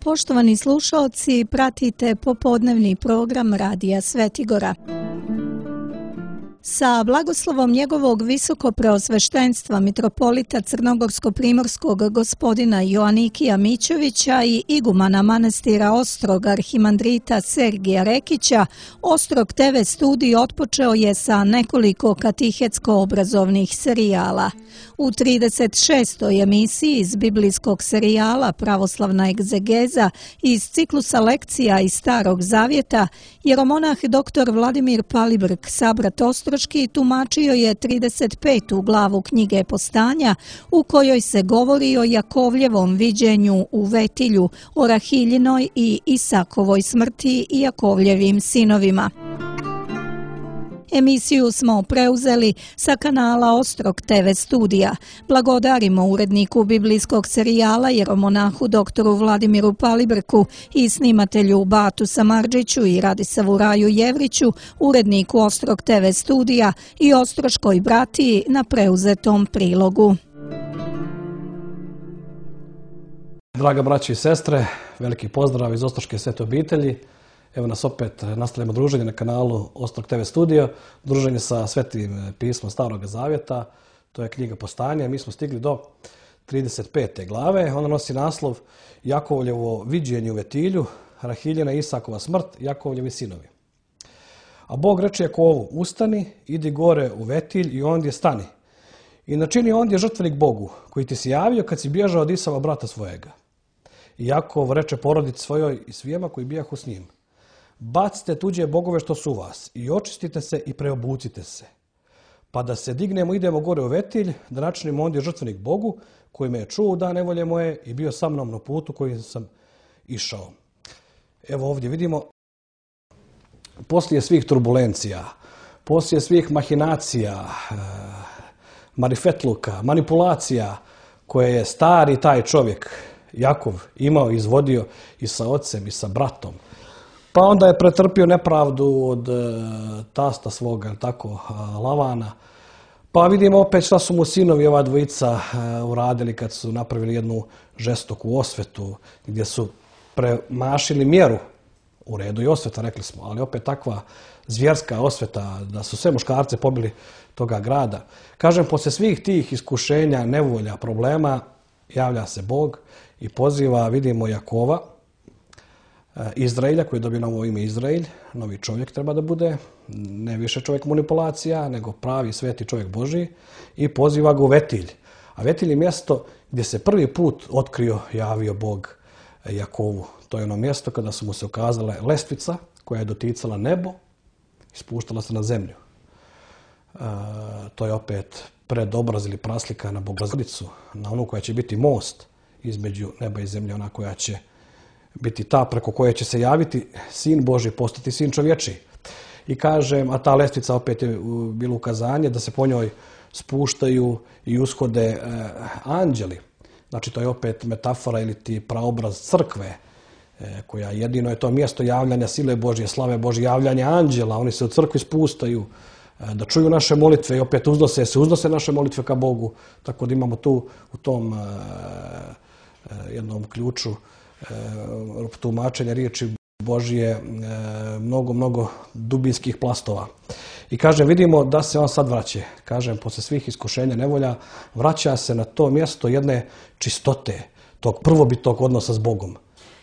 Poštovani slušaoci, pratite popodnevni program Radija Svetigora. Sa blagoslovom njegovog visokopreosveštenstva mitropolita Crnogorsko-primorskog gospodina Joanikija Mićovića i igumana manastira Ostrog arhimandrita Sergija Rekića, Ostrog TV studij otpočeo je sa nekoliko katehetsko-obrazovnih serijala. U 36. emisiji iz biblijskog serijala Pravoslavna egzegeza iz ciklusa lekcija iz Starog Zavjeta, jeromonah dr. Vladimir Palibrk, sabrat Ostroški, tumačio je 35. glavu knjige Postanja, u kojoj se govori o Jakovljevom viđenju u Vetilju, o Rahiljinoj i Isakovoj smrti i Jakovljevim sinovima. Emisiju smo preuzeli sa kanala Ostrog TV studija. Blagodarimo uredniku biblijskog serijala jeromonahu doktoru Vladimiru Palibrku i snimatelju Batu Samardžiću i Radisavu Raju Jevriću, uredniku Ostrog TV studija i Ostroškoj bratiji na preuzetom prilogu. Draga braći i sestre, veliki pozdrav iz Ostroške svete obitelji. Evo nas opet nastavljamo druženje na kanalu Ostrog TV studio, druženje sa svetim pismom Starog Zavjeta, to je knjiga Postanja. Mi smo stigli do 35. glave, ona nosi naslov Jakovljevo viđenje u Vetilju, Rahiljina i Isakova smrt, Jakovljevi sinovi. A Bog reče Jakovu, ustani, idi gore u Vetilj i ondje stani. I načini ondje žrtvenik Bogu, koji ti si javio kad si bježao od Isava brata svojega. I Jakov reče porodici svojoj i svijema koji bijahu s njim. Bacite tuđe bogove što su u vas i očistite se i preobucite se. Pa da se dignemo, idemo gore u Vetilj, da načinimo ondje žrtvenik Bogu, koji me je čuo u dan nevolje moje i bio sa mnom na putu kojim sam išao. Evo ovdje vidimo, poslije svih turbulencija, poslije svih mahinacija, marifetluka, manipulacija koje je stari taj čovjek, Jakov, imao i izvodio i sa ocem i sa bratom, pa onda je pretrpio nepravdu od tasta svoga, tako, Lavana. Pa vidimo opet šta su mu sinovi ova dvojica uradili kad su napravili jednu žestoku osvetu gdje su premašili mjeru. U redu i osveta, rekli smo, ali opet takva zvjerska osveta da su sve muškarce pobili toga grada. Kažem, poslije svih tih iskušenja, nevolja, problema, javlja se Bog i poziva, vidimo, Jakova, Izraelja, koji je dobio novo ime Izraelj, novi čovjek treba da bude, ne više čovjek manipulacija, nego pravi sveti čovjek Božji, i poziva ga u Vetilj. A Vetilj je mjesto gdje se prvi put otkrio, javio Bog Jakovu. To je ono mjesto kada su mu se ukazale lestvica koja je doticala nebo i spuštala se na zemlju. To je opet predobraz ili praslika na Bogorodicu, na onu koja će biti most između neba i zemlje, ona koja će biti ta preko koje će se javiti Sin Božji, postati Sin čovječiji. I kažem, a ta lestvica opet je bilo ukazanje da se po njoj spuštaju i ushode anđeli. Znači to je opet metafora ili ti praobraz crkve, koja jedino je to mjesto javljanja sile Božje, slave Božje, javljanja anđela. Oni se u crkvi spustaju da čuju naše molitve i opet uznose naše molitve ka Bogu. Tako da imamo tu u tom jednom ključu tumačenja riječi Božje mnogo dubinskih plastova. I kažem, vidimo da se on sad vraća. Kažem, poslije svih iskušenja, nevolja, vraća se na to mjesto jedne čistote, tog prvobitnog odnosa s Bogom.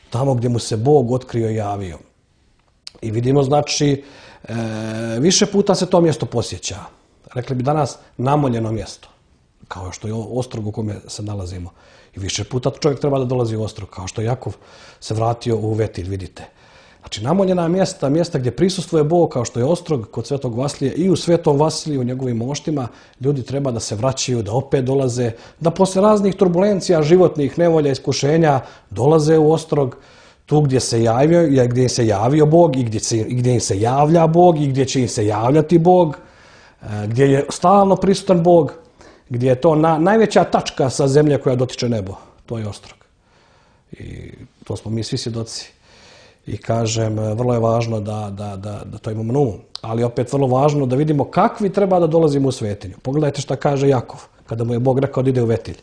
Tamo gdje mu se Bog otkrio i javio. I vidimo, znači, više puta se to mjesto posjeća. Rekli bi danas namoljeno mjesto, kao što je Ostrog u kome se nalazimo. I više puta čovjek treba da dolazi u Ostrog, kao što Jakov se vratio u Vetilj, vidite. Znači, namoljena mjesta gdje prisustvuje Bog, kao što je Ostrog kod Svetog Vasilija, i u Svetom Vasiliju, u njegovim moštima, ljudi treba da se vraćaju, da opet dolaze, da posle raznih turbulencija, životnih nevolja, iskušenja, dolaze u Ostrog, tu gdje se javio Bog i gdje im se javlja Bog i gdje će im se javljati Bog, gdje je stalno prisutan Bog, gdje je to najveća tačka sa zemlje koja dotiče nebo. To je Ostrog. I to smo mi svi svjedoci. I kažem, vrlo je važno da to imamo na umu. Ali opet vrlo važno da vidimo kakvi treba da dolazimo u svetinju. Pogledajte šta kaže Jakov. kada mu je Bog rekao da ide u Vetilj.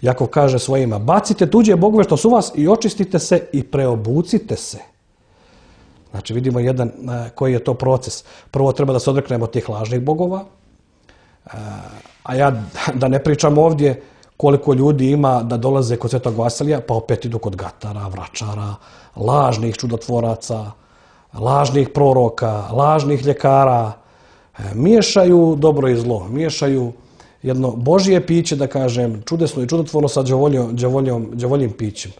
Jakov kaže svojima, bacite tuđe bogove što su vas i očistite se i preobucite se. Znači vidimo koji je to proces. Prvo treba da se odreknemo tih lažnih bogova, a ja da ne pričam ovdje koliko ljudi ima da dolaze kod Svetog Vasilija, pa opet idu kod gatara, vračara, lažnih čudotvoraca, lažnih proroka, lažnih ljekara. Miješaju dobro i zlo, miješaju jedno Božje piće, da kažem, čudesno i čudotvorno sa đavoljim pićem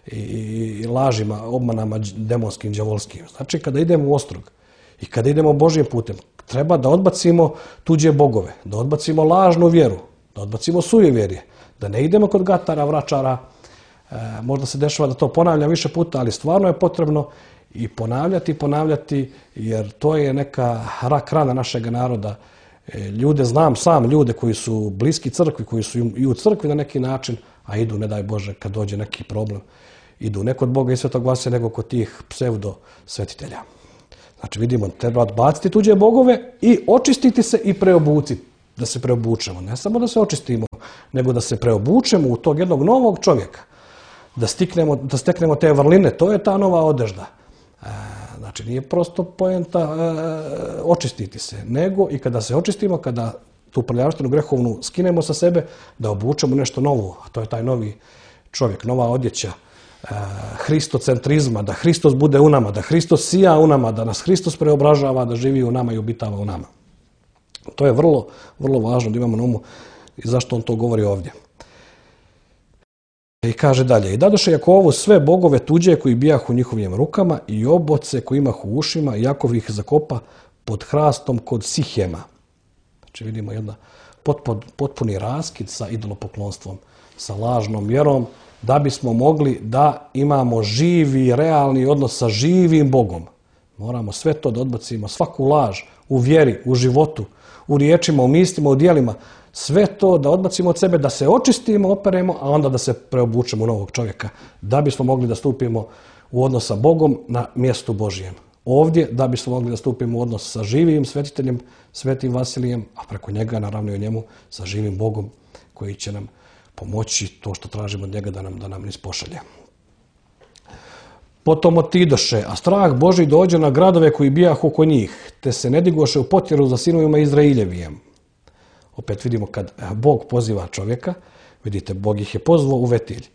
i lažima, obmanama demonskim, đavolskim. Znači, kada idemo u ostrog i kada idemo Božjim putem, treba da odbacimo tuđe bogove, da odbacimo lažnu vjeru, da odbacimo sujevjerje, da ne idemo kod gatara, vračara. Možda se dešava da to ponavljam više puta, ali stvarno je potrebno i ponavljati, jer to je neka rak rana našeg naroda. Znam sam ljude koji su bliski crkvi, koji su i u crkvi na neki način, a idu, ne daj Bože, kad dođe neki problem, idu ne kod Boga i Svetog Vasilija, nego kod tih pseudo svetitelja. Znači vidimo, treba odbaciti tuđe bogove i očistiti se i preobuciti, da se preobučemo. Ne samo da se očistimo, nego da se preobučemo u tog jednog novog čovjeka, da steknemo te vrline, to je ta nova odežda. Znači nije prosto poenta očistiti se, nego i kada se očistimo, kada tu prljavštinu grehovnu skinemo sa sebe, da obučemo nešto novo, a to je taj novi čovjek, nova odjeća, hristocentrizma, da Hristos bude u nama, da Hristos sija u nama, da nas Hristos preobražava, da živi u nama i obitava u nama. To je vrlo, vrlo važno da imamo na umu i zašto on to govori ovdje. I kaže dalje, i dadoše Jakovu sve bogove tuđe koji bijahu u njihovim rukama i oboce koji imahu u ušima, i Jakov ih zakopa pod hrastom kod Sihema. Znači vidimo jedan potpuni raskid sa idolopoklonstvom, sa lažnom vjerom, da bismo mogli da imamo živi, realni odnos sa živim Bogom. Moramo sve to da odbacimo, svaku laž u vjeri, u životu, u riječima, u mislima, u djelima, sve to da odbacimo od sebe, da se očistimo, operemo, a onda da se preobučemo u novog čovjeka, da bismo mogli da stupimo u odnos sa Bogom na mjestu Božijem. Ovdje da bismo mogli da stupimo u odnos sa živim svetiteljem, Svetim Vasilijem, a preko njega, naravno i o njemu, sa živim Bogom koji će nam pomoći to što tražimo od njega da nam ispošalje. Potom otidoše, a strah Božji dođe na gradove koji bijahu oko njih, te se ne digoše u potjeru za sinovima Izrailjevijem. Opet vidimo kad Bog poziva čovjeka, vidite, Bog ih je pozvao u Vetilj.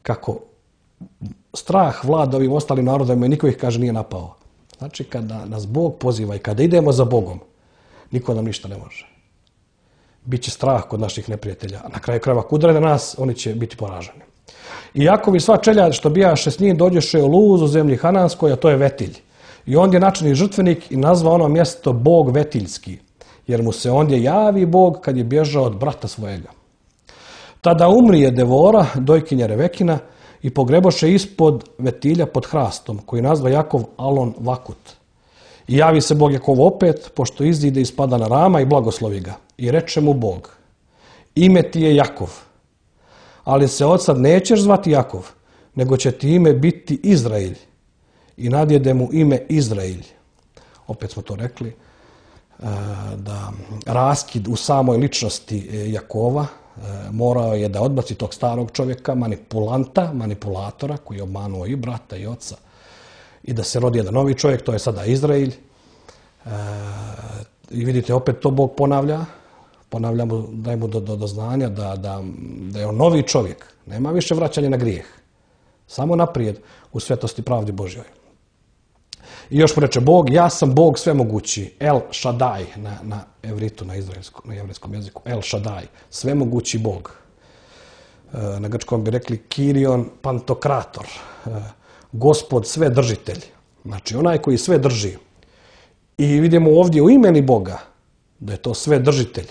Kako strah vlada ovim ostalim narodima i niko ih, kaže, nije napao. Znači, kada nas Bog poziva i kada idemo za Bogom, niko nam ništa ne može. Biće strah kod naših neprijatelja. A na kraju krajeva, ako udare na nas, oni će biti poraženi. I Jakov i sva čeljad što bijaše s njim dođeše u Luz u zemlji Hananskoj, a to je Vetilj. I ondje načini žrtvenik i nazva ono mjesto Bog Vetiljski, jer mu se ondje javi Bog kad je bježao od brata svojega. Tada umrije Devora, dojkinja Revekina, i pogreboše ispod Vetilja pod hrastom, koji nazva Jakov Alon Vakut. I javi se Bog Jakovu opet, pošto izide i spada na Rama i blagoslovi ga. I reče mu Bog, ime ti je Jakov, ali se od sad nećeš zvati Jakov, nego će ti ime biti Izrailj. I nadjede mu ime Izrailj. Opet smo to rekli, da raskid u samoj ličnosti Jakova morao je da odbaci tog starog čovjeka, manipulatora, koji je obmanuo i brata i oca, i da se rodi jedan novi čovjek, to je sada Izrailj. I vidite, opet to Bog ponavlja mu, daje mu do znanja da je on novi čovjek. Nema više vraćanja na grijeh. Samo naprijed u svetosti pravdi Božjoj. I još mu reče Bog, ja sam Bog svemogući, El Shaddai, na evritu, na jevrejskom jeziku, El Shaddai, svemogući Bog. Na grčkom bi rekli Kirion Pantokrator, Gospod svedržitelj, znači onaj koji sve drži. I vidimo ovdje u imeni Boga da je to svedržitelj,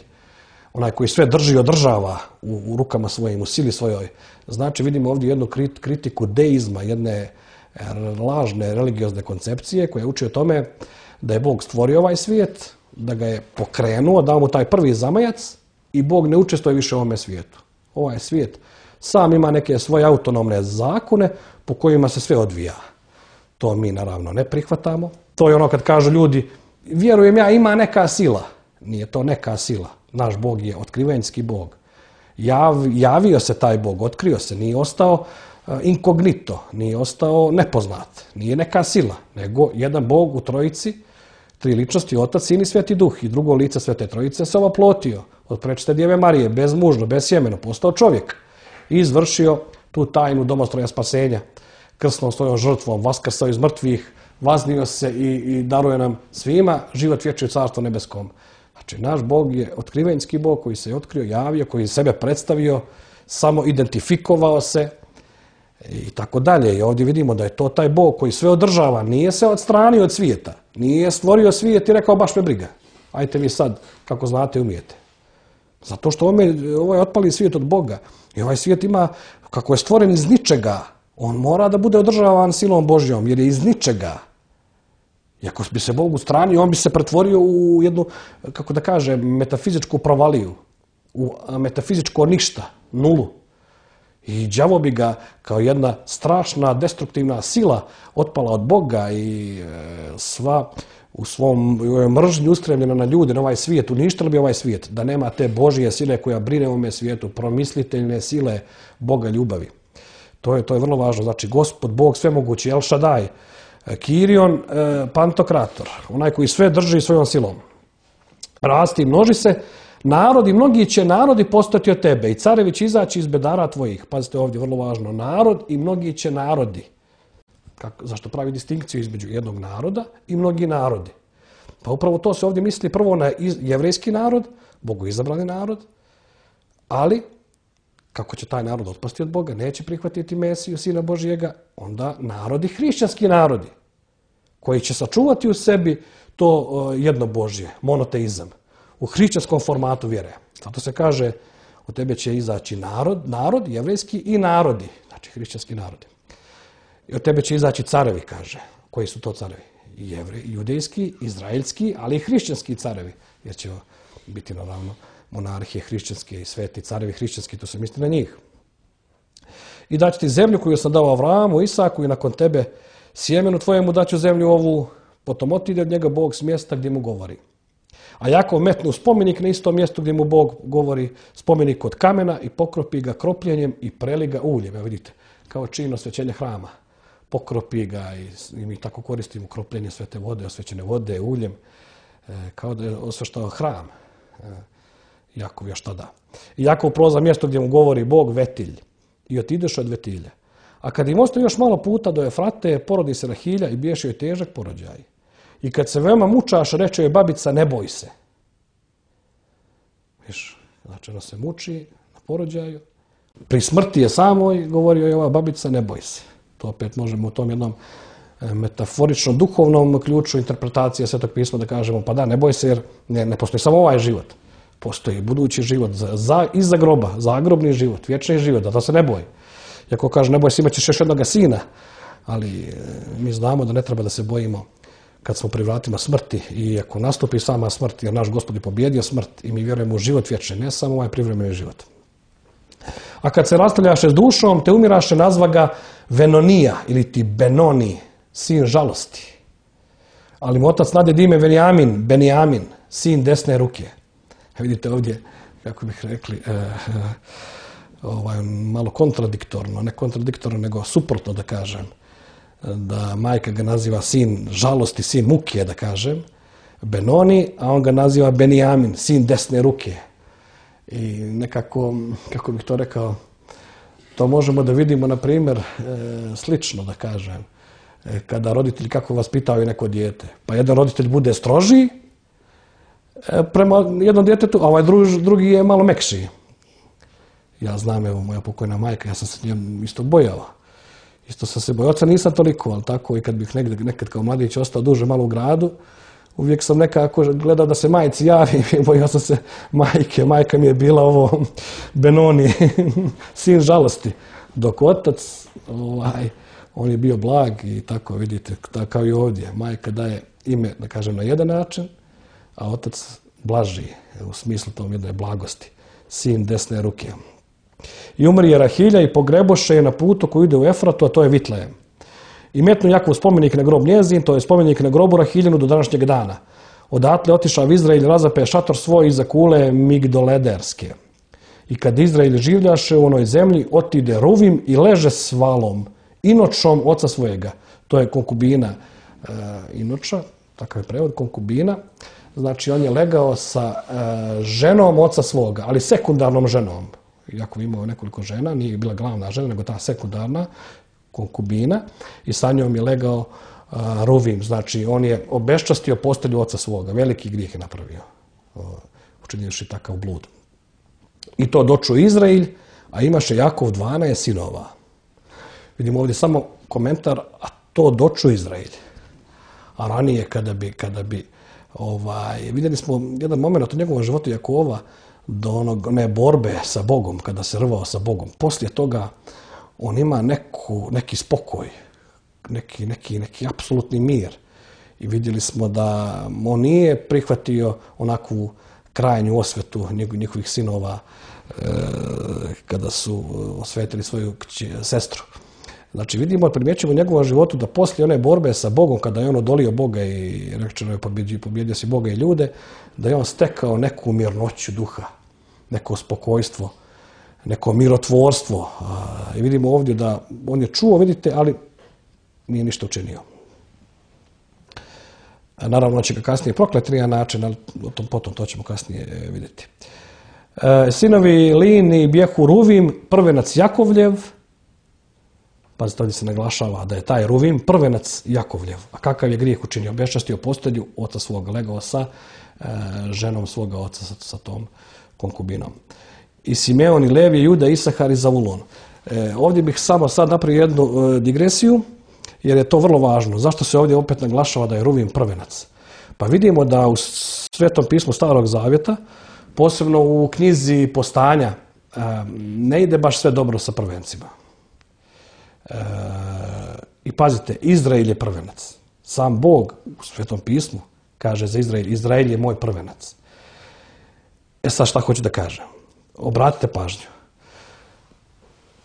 onaj koji sve drži i održava u rukama svojim, u sili svojoj. Znači vidimo ovdje jednu kritiku deizma, jedne lažne religiozne koncepcije koja uči o tome da je Bog stvorio ovaj svijet, da ga je pokrenuo, dao mu taj prvi zamajac i Bog ne učestvuje više u ovome svijetu. Ovaj svijet sam ima neke svoje autonomne zakone po kojima se sve odvija. To mi naravno ne prihvatamo. To je ono kad kažu ljudi, vjerujem ja, ima neka sila. Nije to neka sila. Naš Bog je otkrivenjski Bog. Javio se taj Bog, otkrio se, nije ostao inkognito, nije ostao nepoznat, nije neka sila, nego jedan Bog u trojici, tri ličnosti, Otac, Sin i Sveti Duh, i drugo lice Svete Trojice se oplotio od prečiste Djeve Marije, bezmužno, besjemeno, postao čovjek i izvršio tu tajnu domostroja spasenja, krsnom svojom žrtvom, vaskrsao iz mrtvih, vaznio se i daruje nam svima život vječni u Carstvu nebeskom. Znači, naš Bog je otkrivenjski Bog koji se je otkrio, javio, koji je sebe predstavio, samo identifikovao se i tako dalje. I ovdje vidimo da je to taj Bog koji sve održava, nije se odstranio od svijeta, nije stvorio svijet i rekao baš me briga. Ajte vi sad, kako znate, umijete. Zato što ovaj otpali svijet od Boga i ovaj svijet ima, kako je stvoren iz ničega, on mora da bude održavan silom Božjom, jer je iz ničega. I ako bi se Bog ustranio, on bi se pretvorio u jednu, kako da kažem, metafizičku provaliju, u metafizičko ništa, nulu. I đavo bi ga kao jedna strašna, destruktivna sila otpala od Boga i sva u svom mržnju ustremljena na ljude, na ovaj svijet, uništila bi ovaj svijet, da nema te Božje sile koja brine o ovome svijetu, promisliteljne sile Boga ljubavi. To je vrlo važno. Znači, Gospod, Bog svemogući, El Shaddai, Kirion, Pantokrator, onaj koji sve drži svojom silom. Rasti i množi se, narodi, mnogi će narodi postati od tebe i carevi će izaći iz bedara tvojih. Pazite ovdje, vrlo važno, narod i mnogi će narodi. Zašto pravi distinkciju između jednog naroda i mnogi narodi? Pa upravo to se ovdje misli prvo na jevrejski narod, bogoizabrani narod, ali kako će taj narod otpasti od Boga, neće prihvatiti Mesiju, Sina Božjega, onda narodi, hrišćanski narodi, koji će sačuvati u sebi to jedno Božje, monoteizam, u hrišćanskom formatu vjere. Zato se kaže, od tebe će izaći narod, jevrejski i narodi, znači hrišćanski narodi. I od tebe će izaći carevi, kaže. Koji su to carevi? Judejski, izraelski, ali i hrišćanski carevi, jer će biti naravno monarhije hrišćanske i sveti carevi hrišćanski, to se misli na njih. I daću ti zemlju koju sam dao Avramu, Isaku i nakon tebe sjemenu tvojemu daću zemlju ovu, potom otide od njega Bog s mjesta gdje mu govori. A Jakov metnu spomenik na istom mjestu gdje mu Bog govori, spomenik od kamena i pokropi ga kropljenjem i preli ga uljem. Evo vidite, kao čin osvećenja hrama. Pokropi ga i mi tako koristimo kropljenje svete vode, osvećene vode, uljem, kao da je osveštao hram. Jakov još tada. I Jakov proza mjesto gdje mu govori Bog Vetilj i otideš od Vetilja. A kad im ostaje još malo puta do Efrate, porodi se Rahilja i biješe joj težak porođaj. I kad se veoma mučaš, reče joj babica, ne boj se. Viš, znači ona se muči na porođaju. Pri smrti je samoj, govorio je ova babica, ne boj se. To opet možemo u tom jednom metaforično duhovnom ključu interpretacije Svetog pisma da kažemo, pa da, ne boj se jer ne postoji samo ovaj život. Postoji budući život iza groba, zagrobni život, vječni život, da to se ne boj. Iako kaže, ne boj se, imat ćeš još jednoga sina, ali mi znamo da ne treba da se bojimo kad smo pri vratima smrti i ako nastupi sama smrt, jer naš Gospod je pobjedio smrt i mi vjerujemo u život vječni, ne samo ovaj privremeni život. A kad se rastavljaše s dušom, te umiraše, nazva ga Venonija ili ti Benoni, sin žalosti. Ali mu otac nade ime Benijamin, sin desne ruke. Vidite ovdje, kako bih rekli, malo kontradiktorno, ne kontradiktorno, nego suprotno da kažem, da majka ga naziva sin žalosti, sin muke, da kažem, Benoni, a on ga naziva Benijamin, sin desne ruke. I nekako, kako bih to rekao, to možemo da vidimo, na primjer, slično, da kažem, kada roditelji kako vaspitavaju neko dijete. Pa jedan roditelj bude strožiji prema jednom djetetu, a ovaj drugi je malo mekšiji. Ja znam, evo, moja pokojna majka, ja sam se njom isto bojao. Isto sam se bojao. Oca nisam toliko, ali tako i kad bih nekad kao mladić ostao duže malo u gradu, uvijek sam nekako gledao da se majci javi, bojao sam se majke. Majka mi je bila ovo Benoni, sin žalosti. Dok otac, on je bio blag i tako, vidite, kao i ovdje. Majka daje ime, da kažem, na jedan način, a otac blaži, u smislu tom jedne blagosti. Sin desne ruke. I umrije Rahilja i pogreboše je na putu koji ide u Efratu, a to je Vitlejem. I metnu Jakov spomenik na grob njezin, to je spomenik na grobu Rahiljinu do današnjeg dana. Odatle otišao v Izrael, razape šator svoj iza kule Migdolederske. I kad Izrael življaše u onoj zemlji, otide Ruvim i leže s Valom, inočom oca svojega. To je konkubina inoča, takav je prevod, konkubina. Znači, on je legao sa ženom oca svoga, ali sekundarnom ženom. Iako je imao nekoliko žena, nije bila glavna žena, nego ta sekundarna konkubina. I sa njom je legao Ruvim. Znači, on je obeščastio postelju oca svoga. Veliki grijeh je napravio, učinivši takav blud. I to dočuo Izrael, a imaše Jakov 12 sinova. Vidimo ovdje samo komentar, a to dočuo Izrael. A ranije kada bi vidjeli smo jedan moment u njegovom životu Jakova do one borbe sa Bogom, kada se rvao sa Bogom. Poslije toga on ima neki spokoj, neki apsolutni mir. I vidjeli smo da on nije prihvatio onakvu krajnju osvetu njihovih sinova kada su osvetili svoju sestru. Znači vidimo, primjećujemo u njegovom životu da poslije one borbe sa Bogom, kada je on odolio Boga i rečeno je pobjedio si Boga i ljude, da je on stekao neku mirnoću duha, neko spokojstvo, neko mirotvorstvo. I vidimo ovdje da on je čuo, vidite, ali nije ništa učinio. Naravno, će ga kasnije prokleti na način, ali potom to ćemo kasnije vidjeti. Sinovi Lini bjehu Ruvim, prvenac Jakovljev. Pazite, ovdje se naglašava da je taj Ruvim prvenac Jakovljev. A kakav je grijeh učinio? Obeščastio postelju oca svoga, legao sa ženom svoga oca, sa tom konkubinom. I Simeon i Levi, Juda, Isahar i Zavulon. Ovdje bih samo sad napravio jednu digresiju, jer je to vrlo važno. Zašto se ovdje opet naglašava da je Ruvim prvenac? Pa vidimo da u Svetom pismu Starog zavjeta, posebno u knjizi Postanja, ne ide baš sve dobro sa prvencima. I pazite, Izrael je prvenac. Sam Bog u Svetom pismu kaže za Izrael, Izrael je moj prvenac. Sad šta hoću da kažem? Obratite pažnju.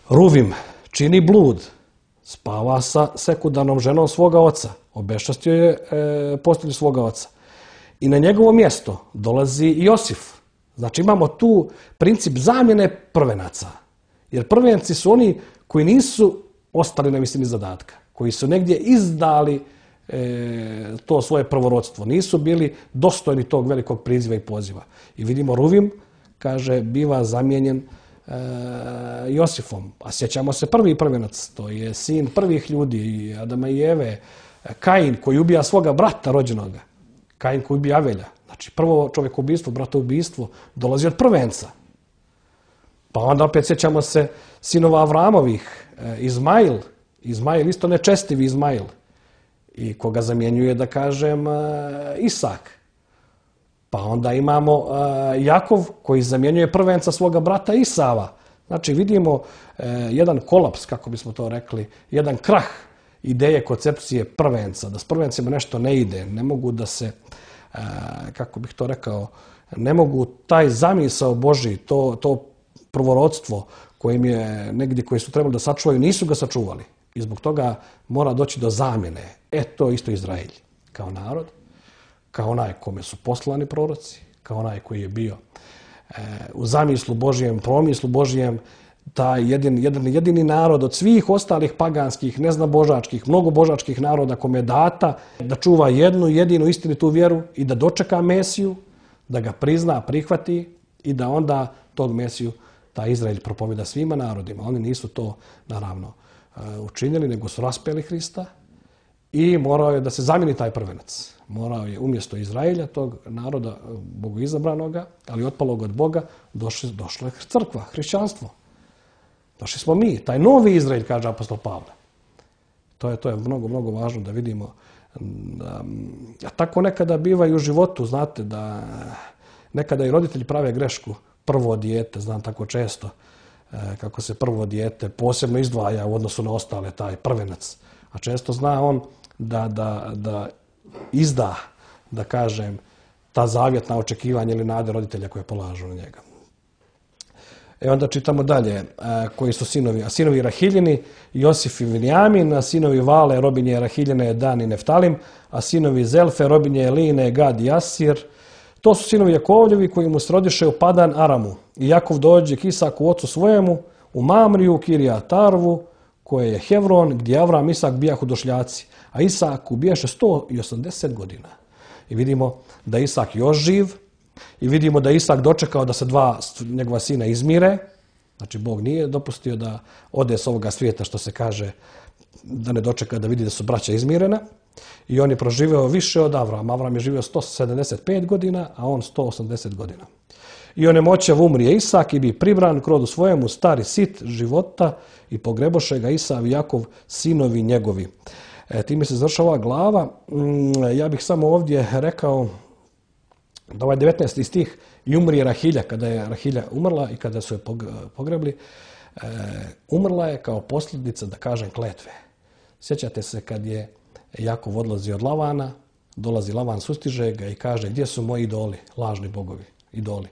Ruvim čini blud, spava sa sekundarnom ženom svoga oca, obeščastio je postelju svoga oca. I na njegovo mjesto dolazi Josif. Znači imamo tu princip zamjene prvenaca. Jer prvenci su oni koji nisu ostali na visini zadatka, koji su negdje izdali to svoje prvorodstvo, nisu bili dostojni tog velikog priziva i poziva. I vidimo Ruvim, kaže, biva zamijenjen Josifom. A sjećamo se prvi prvenac, to je sin prvih ljudi, Adama i Eve, Kain koji ubija svoga brata rođenoga, Kain koji ubija Avelja. Znači prvo čovjekoubistvo, bratoubistvo dolazi od prvenca. Pa onda opet sjećamo se sinova Avramovih, Izmail, isto nečestivi Izmail, i koga zamjenjuje, da kažem, Isak. Pa onda imamo Jakov koji zamjenjuje prvenca svoga brata Isava. Znači vidimo jedan kolaps, kako bismo to rekli, jedan krah ideje, koncepcije prvenca, da s prvencima nešto ne ide, ne mogu da se, kako bih to rekao, ne mogu taj zamisao Božji, to prvorodstvo kojim je negdje, koji su trebali da sačuvaju, nisu ga sačuvali. I zbog toga mora doći do zamjene. To isto Izrael kao narod, kao onaj kome su poslani proroci, kao onaj koji je bio u zamislu Božijem, promislu Božijem, taj jedini narod od svih ostalih paganskih, neznabožačkih, mnogobožačkih naroda kome je data da čuva jednu jedinu istinitu vjeru i da dočeka Mesiju, da ga prizna, prihvati i da onda tog Mesiju taj Izrael propovjeda svima narodima. Oni nisu to, naravno, učinili, nego su raspeli Hrista i morao je da se zamijeni taj prvenac. Morao je umjesto Izraelja, tog naroda bogoizabranoga, ali otpalog od Boga, došla je crkva, hrišćanstvo. Došli smo mi, taj novi Izrael, kaže apostol Pavle. To je mnogo, mnogo važno da vidimo. A tako nekada biva i u životu, znate, da nekada i roditelji prave grešku. Prvo dijete, znam tako često, kako se prvo dijete posebno izdvaja u odnosu na ostale, taj prvenac. A često zna on da izda, da kažem, ta zavjetna očekivanja ili nade roditelja koje polažu na njega. Onda čitamo dalje koji su sinovi. A sinovi Rahiljini, Josif i Vinjamin, a sinovi Vale, robinje Rahiljine, Dan i Neftalim, a sinovi Zelfe, robinje Line, Gad i Asir. To su sinovi Jakovljevi koji mu srodiše u Padan Aramu. I Jakov dođe k Isaku ocu svojemu u Mamriju, Kirijat Arvu, koje je Hevron, gdje Avram i Isak bijahu došljaci. A Isaku bijaše 180 godina. I vidimo da Isak još živ. I vidimo da Isak dočekao da se dva njegova sina izmire. Znači, Bog nije dopustio da ode s ovoga svijeta, što se kaže, da ne dočeka da vidi da su braća izmirena. I on je proživio više od Avrama. Avram je živio 175 godina, a on 180 godina. I onemoćav umrije Isak i bi pribran k rodu svojemu, stari sit života, i pogreboše ga Isav i Jakov, sinovi njegovi. Time se završava ova glava. Ja bih samo ovdje rekao da ovaj 19. stih i umrije Rahilja, kada je Rahilja umrla i kada su je pogrebli, umrla je kao posljedica, da kažem, kletve. Sjećate se kad je Jakov odlazi od Lavana, dolazi Lavan, sustiže ga i kaže: gdje su moji idoli, lažni bogovi, idoli.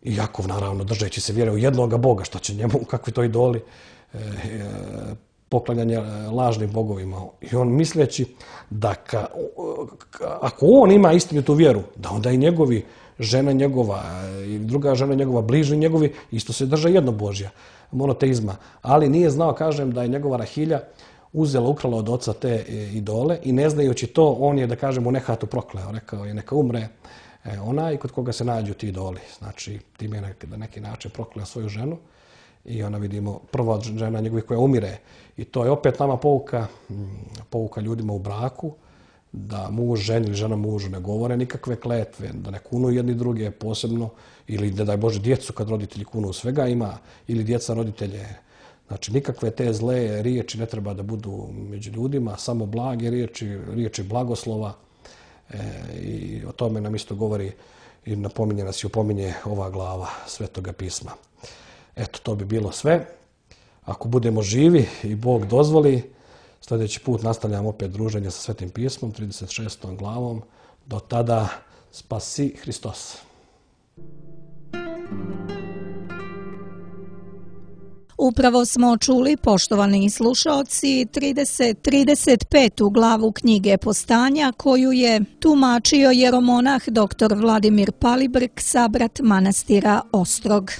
I Jakov, naravno, držeći se vjere u jednoga Boga, što će njemu, kakvi to idoli, poklanjanje lažnim bogovima. I on misleći da ako on ima istinitu vjeru, da onda i njegovi, žena njegova i druga žena njegova, bližni njegovi, isto se drže jednobožja, monoteizma. Ali nije znao, kažem, da je njegova Rahilja uzela, ukrala od oca te idole i ne znajući to, on je, da kažem, u nehatu prokleo. Rekao je: neka umre onaj kod koga se nađu ti idoli. Znači, tim je na neki način prokleo svoju ženu i ona, vidimo, prva žena njegovih koja umire. I to je opet nama pouka ljudima u braku, da muž ženi ili žena mužu ne govore nikakve kletve, da ne kunu jedni druge posebno, ili ne daj Bože djecu kad roditelji kunu, svega ima, ili djeca roditelje. Znači, nikakve te zle riječi ne treba da budu među ljudima, samo blage riječi blagoslova. I o tome nam isto govori i napominje nas i opominje ova glava Svetoga pisma. Eto, to bi bilo sve. Ako budemo živi i Bog dozvoli, sljedeći put nastavljamo opet druženje sa Svetim pismom, 36. glavom. Do tada, spasi Hristos. Upravo smo čuli, poštovani slušaoci, 35. glavu knjige Postanja, koju je tumačio jeromonah dr. Vladimir Palibrk, sabrat manastira Ostrog.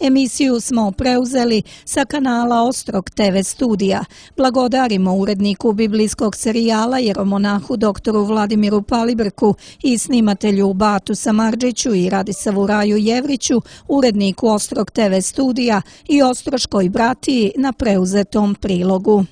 Emisiju smo preuzeli sa kanala Ostrog TV studija. Blagodarimo uredniku biblijskog serijala jeromonahu doktoru Vladimiru Palibrku i snimatelju Batu Samardžiću i Radisavu Raju Jevriću, uredniku Ostrog TV studija i ostroškoj bratiji na preuzetom prilogu.